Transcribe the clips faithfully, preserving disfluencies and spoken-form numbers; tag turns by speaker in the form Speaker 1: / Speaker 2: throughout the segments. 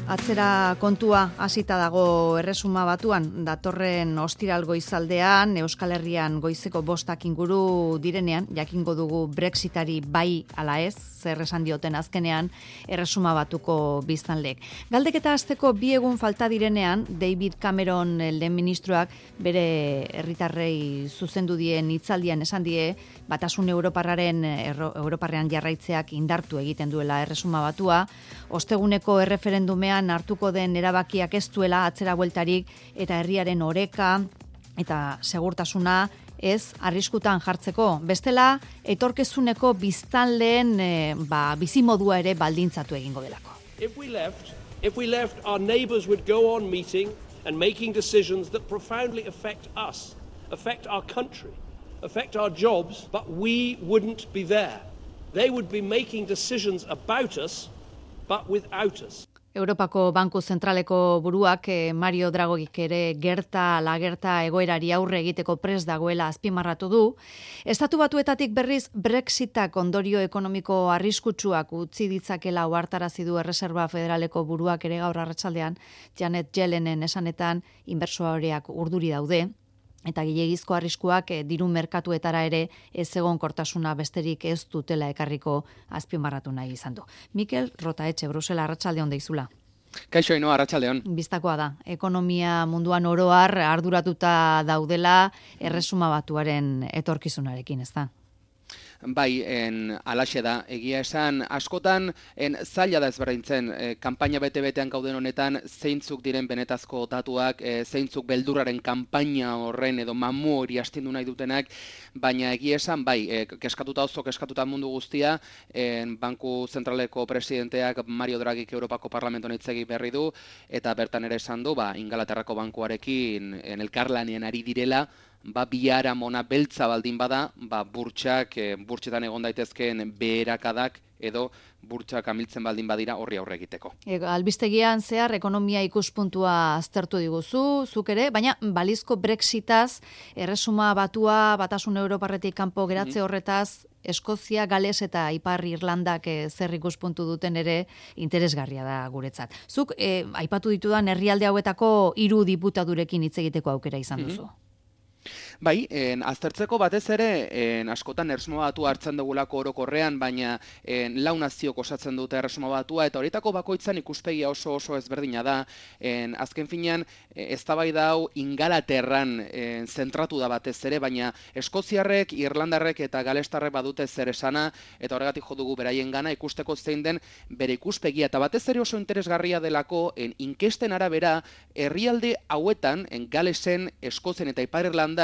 Speaker 1: Atzera kontua hasita dago Erresuma Batuan, datorren ostiral goizaldean, Euskal Herrian goizeko bostak inguru direnean, jakingo dugu Brexitari bai ala ez, zer esan dioten azkenean Erresuma Batuko biztanleek. Galdeketa hasteko bi egun falta direnean, David Cameron lehen ministroak bere herritarrei zuzendu dien hitzaldian esan die, Batasun Europarraren Europarrean jarraitzeak indartu egiten duela Erresuma Batua, osteguneko erreferendumean hartuko den erabakiak ez duela atzera bueltarik eta herriaren oreka eta segurtasuna ez arriskutan jartzeko. Bestela, etorkezuneko biztanleen e, ba, bizimodua ere baldintzatu egingo delako.
Speaker 2: If we left, if we left, our neighbors would go on meeting and making decisions that profoundly affect us, affect our country, affect our jobs, but we wouldn't be there. They would be making decisions about us but without us.
Speaker 1: Europako Banku Zentraleko buruak Mario Dragik ere gerta lagerta egoerari aurre egiteko prest dagoela azpimarratu du. Estatu Batuetatik berriz Brexitak ondorio ekonomiko arriskutsuak utzi ditzakela ohartarazi du Erreserba Federaleko buruak ere gaur arratsaldean Janet Yellenen esanetan inbertsoreak urduri daude. Eta gehiegizko arriskuak e, diru merkatuetara ere ez egonkortasuna besterik ez dutela ekarriko azpimarratu nahi izan du. Mikel Rotaetxe, Brusela, arratsaldeon deizula.
Speaker 3: Kaixo ino, arratsaldeon.
Speaker 1: Bistakoa da, ekonomia munduan oroar arduratuta daudela Erresuma Batuaren etorkizunarekin, ez da?
Speaker 3: Bai, en, alaxe da, egia esan, askotan, en, zaila da ezberdintzen, e, kanpaina bete-betean gauden honetan, zeintzuk diren benetazko datuak, e, zeintzuk beldurraren kanpaina horren edo mamu hori astindu nahi dutenak, baina egia esan, bai, e, keskatuta oso, keskatuta mundu guztia, en, Banku Zentraleko presidenteak Mario Dragik Europako Parlamenton hitzegi berri du, eta bertan ere esan du, ba, Ingalaterrako bankuarekin en, elkarlanean ari direla, ba, biara mona beltza baldin bada, ba, burtsak, e, burtsetan egon daitezkeen beherakadak edo burtsak amiltzen baldin badira horri aurre egiteko.
Speaker 1: E, albistegian zehar ekonomia ikuspuntua aztertu diguzu, zuk ere, baina balizko Brexitaz, Erresuma Batua, Batasun Europarretik kanpo geratze horretaz, Eskozia, Gales eta Ipar Irlandak e, zer ikuspuntu duten ere interesgarria da guretzat. Zuk, e, aipatu ditudan herrialde hauetako hiru diputadurekin hitz egiteko aukera izan duzu. Mm-hmm.
Speaker 3: Bai, en, aztertzeko batez ere, en, askotan Erresuma Batua hartzen dugulako orokorrean, baina en, lau naziok osatzen dute Erresuma Batua, eta horietako bakoitzan ikuspegia oso oso ezberdina da. En, azken finean, eztabaida hau Ingalaterran en, zentratu da batez ere, baina Eskoziarrek, Irlandarrek eta Galestarrek badute zer esana, eta horregatik jo dugu beraien gana ikusteko zein den bere ikuspegia, eta batez ere oso interesgarria delako, en, inkesten arabera, herrialde hauetan, en Galesen, Eskozien eta Ipar Irlandan,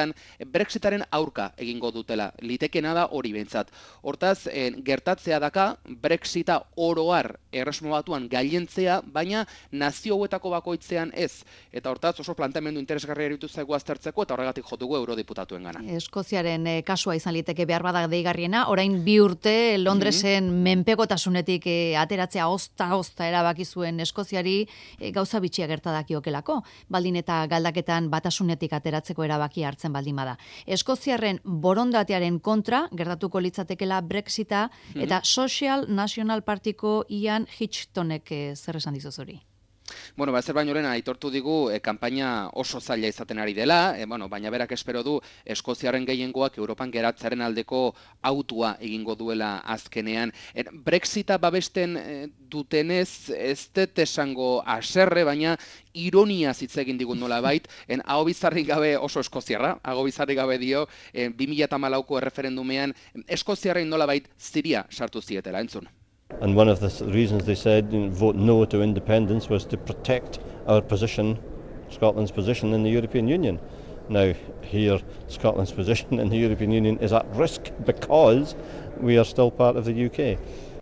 Speaker 3: Brexitaren aurka egingo dutela, litekena da hori behintzat. Hortaz, en, gertatzea daka, Brexita oroar Erresuma Batuan gailentzea, baina nazio hauetako bakoitzean ez. Eta hortaz, oso planteamendu interesgarria eritu zaigu aztertzeko, eta horregatik jo dugu eurodiputatuen gana.
Speaker 1: Eskoziaren e, kasua izan liteke behar badak deigarriena, orain bi urte Londresen mm-hmm. menpekotasunetik e, ateratzea ozta-ozta erabaki zuen Eskoziari e, gauza bitxia gertadakiokelako, baldin eta galdaketan batasunetik ateratzeko erabaki hartzen baldin bada. Eskoziarren borondatearen kontra gertatuko litzatekela Brexita mm-hmm. eta Social National Partiko Ian Hitchtonek eh, zer esan dizuzuri.
Speaker 3: Bueno, ba, zer baino lehen aitortu digu e, kanpaina oso zaila izaten ari dela, e, bueno, baina berak espero du Eskoziarren gehiengoak Europan geratzaren aldeko autua egingo duela azkenean. E, Brexita babesten e, dutenez ez dut esango haserre, baina ironia hitz egin digun nolabait, en aho bizarrik gabe oso eskoziarra, aho bizarrik gabe dio, e, bi mila hamalauko erreferendumean Eskoziarren nolabait ziria sartu zietela, entzun.
Speaker 4: And one of the reasons they said vote no to independence was to protect our position, Scotland's position in the European Union. Now, here, Scotland's position in the European Union is at risk because we are still part of the U K.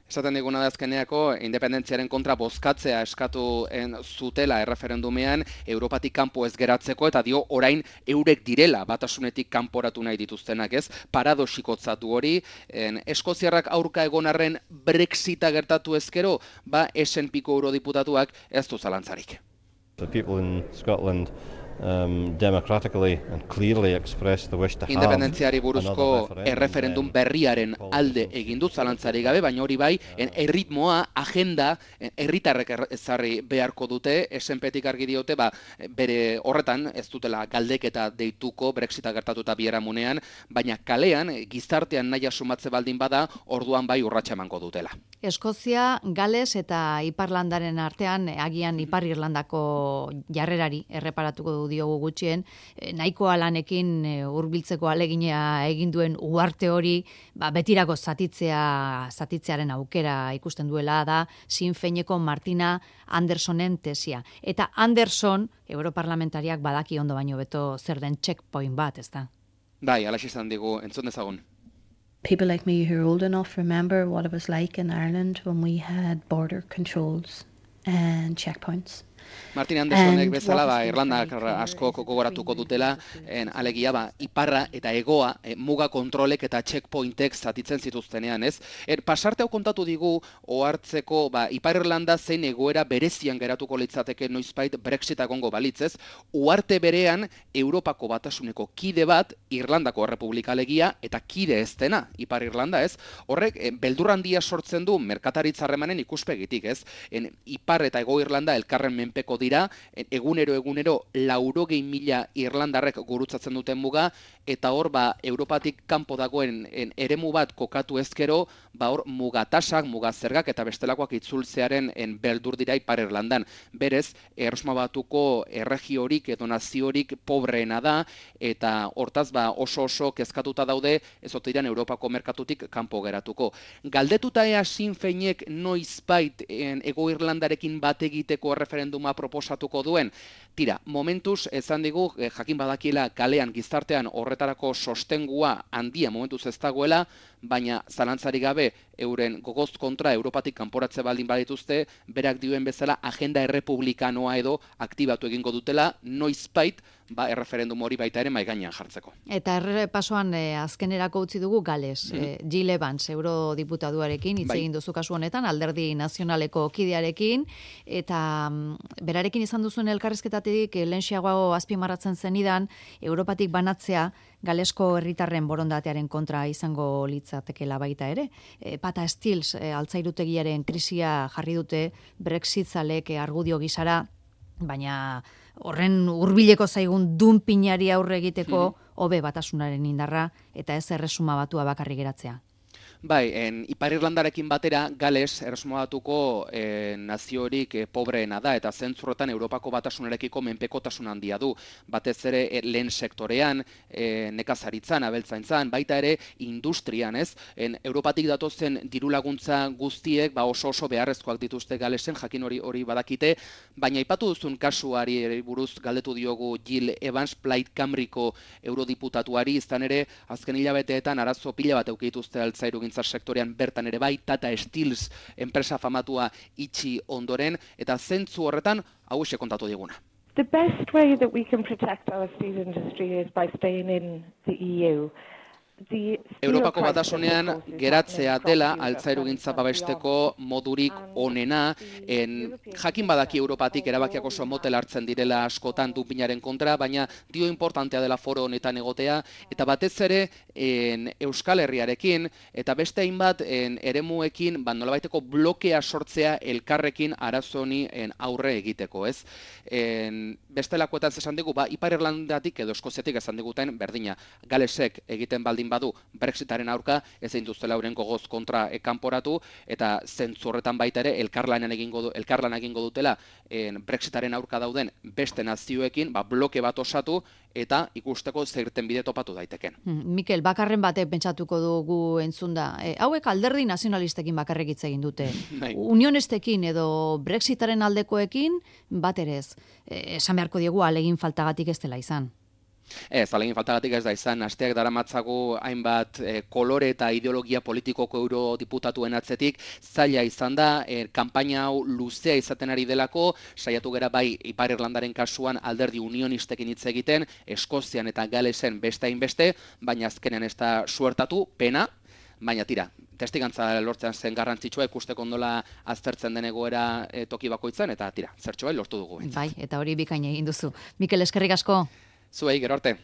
Speaker 3: Esaten diguna da azkeneako independentziaren kontra bozkatzea eskatu zutela erreferendumean Europatik kanpo ez geratzeko, eta dio orain eurek direla batasunetik kanporatu nahi dituztenak, ez? Paradoxikotzatu hori, en, Eskoziarrak aurka egon arren Brexita gertatu ezkero, ba S and Pko eurodiputatuak ez du zalantzarik.
Speaker 4: The people in Scotland um, democratically and clearly expressed the wish to have
Speaker 3: Independentziari buruzko erreferendum berriaren alde egin du zalantzari gabe, baina hori bai, erritmoa, agenda, herritarrek ezarri beharko dute, S N P-tik argi diote, ba, bere horretan ez dutela galdeketa deituko Brexita gertatuta biharamunean, baina kalean, gizartean nahi sumatze baldin bada, orduan bai urratsa emango dutela.
Speaker 1: Eskozia, Gales eta Iparlandaren artean, agian Ipar Irlandako jarrerari erreparatuko du diogu gutxien, nahikoa lanekin hurbiltzeko alegina egin duen uarte hori, ba, betirako zatitzea, zatitzearen aukera ikusten duela da Sinn Féineko Martina Andersonen tesia. Eta Anderson, europarlamentariak badaki ondo baino beto zer den checkpoint bat, ez da?
Speaker 3: Bai, alaxe izan digu, entzun dezagun.
Speaker 5: People like me who are old enough remember what it was like in Ireland when we had border controls and checkpoints.
Speaker 3: Martin Andersonek bezala, ba, Irlandak asko gogoratuko dutela, en, alegia, ba, iparra eta egoa, e, muga kontrolek eta checkpointek zatitzen zituztenean, ez? Er, pasarte hau kontatu digu, ohartzeko, ba, Ipar Irlanda zein egoera berezian geratuko litzateke noizbait Brexit egongo balitz, ez? Uarte berean, Europako Batasuneko kide bat, Irlandako Errepublika alegia, eta kide ez dena, Ipar Irlanda, ez? Horrek, e, beldur handia sortzen du merkataritza-harremanen ikuspegitik, ez? En, Ipar eta Ego Irlanda elkarren menpeko dira, egunero egunero laurogei mila irlandarrek gurutzatzen duten muga, eta hor ba Europatik kanpo dagoen en, eremu bat kokatu ezkero, ba hor mugatasak, mugazergak eta bestelakoak itzultzearen en, beldur dira Ipar Irlandan. Berez, Erresuma Batuko erregiorik edo naziorik pobreena da, eta hortaz ba oso oso kezkatuta daude, ez ote diran Europako merkatutik kanpo geratuko. Galdetuta ea Sinn Féinek noizbait Ego Irlandarekin bat egiteko referenduma proposatuko duen, tira, momentuz ezan digu, eh, jakin badakiela kalean gizartean horretarako sostengua handia momentuz ez dagoela, baina zalantzari gabe euren gogoz kontra Europatik kanporatze baldin badituzte, berak dioen bezala agenda errepublikanoa edo aktibatu egingo dutela, noizbait, ba, erreferendum hori baita ere maigainean jartzeko.
Speaker 1: Eta errepasoan e, azkenerako utzi dugu Gales, mm. e, Jill Evans, eurodiputaduarekin, hitz egin duzu kasu honetan, Alderdi Nazionaleko kidearekin, eta mm, berarekin izan duzuen elkarrizketatik e, lehenxiago azpimarratzen zenidan, Europatik banatzea Galesko herritarren borondatearen kontra izango litzatekeela baita ere. E, Pata Stills, e, altzairutegiaren krisia jarri dute Brexit zalek e, argudio gisara, baina horren hurbileko zaigun dunpinari aurre egiteko hobe batasunaren indarra eta ez Erresuma Batua bakarrik geratzea.
Speaker 3: Bai, en, Ipar Irlandarekin batera Gales Erresuma Batuko eh, naziorik eh, pobreena da, eta zentzurretan Europako Batasunarekiko menpekotasun handia du. Batez ere eh, lehen sektorean, eh, nekazaritzan, abeltzaintzan, baita ere industrian, ez? En, Europatik datozen dirulaguntza guztiek ba oso oso beharrezkoak dituzte Galesen, jakin hori hori badakite, baina aipatu duzun kasuari buruz galdetu diogu Jill Evans, Plaid Cymruko eurodiputatuari, izan ere azken hilabeteetan arazo pila bat eukituzte altzairu sektorean bertan ere bai, Tata Stills enpresa famatua itxi ondoren, eta zentzu horretan hau ese kontatu diguna.
Speaker 6: The best way that we can protect our steel industry is by staying in the E U.
Speaker 3: Europako Batasunean geratzea dela altzairugintza babesteko modurik onena, en, jakin badaki Europatik erabakiak oso motel hartzen direla askotan dunpinaren kontra, baina dio importantea dela foro honetan egotea, eta batez ere en, Euskal Herriarekin, eta beste hainbat en, eremuekin, ba, nolabaiteko blokea sortzea elkarrekin arazoni en, aurre egiteko, ez? En, bestelakoetan esan digu, ba, Ipar Irlandatik edo Eskoziatik esan diguten berdina, Galesek egiten baldin badu Brexitaren aurka ezin duztela euren gogoz kontra ekanporatu, eta zentzu horretan baita ere elkarlanan egingo du, elkarlana egingo dutela en, Brexitaren aurka dauden beste nazioekin, ba, bloke bat osatu eta ikusteko zerten bide topatu daiteken.
Speaker 1: Hmm, Mikel, bakarren batek pentsatuko dugu entzunda. E, hauek alderdi nazionalistekin bakarrik hitz egin dute. Unionestekin edo Brexitaren aldekoekin bat ere ez. E, esan beharko diegu alegin faltagatik ez dela izan.
Speaker 3: Ez, alegin faltagatik ez da izan, asteak daramatzagu hainbat eh, kolore eta ideologia politikoko eurodiputatuen atzetik, zaila izan da, eh, kanpaina hau luzea izaten ari delako, saiatu gera bai Ipar Irlandaren kasuan alderdi unionistekin hitz egiten, Eskozian eta Galesen beste hainbeste, baina azkenean ez da suertatu, pena, baina tira, testigantza lortzean zen garrantzitsua ikusteko ondola aztertzen den egoera e, toki bakoitzan, eta tira, zertxo bai lortu dugu.
Speaker 1: Bai, eta hori bikaina egin duzu. Mikel, eskerrik asko.
Speaker 3: Zuei, gero arte.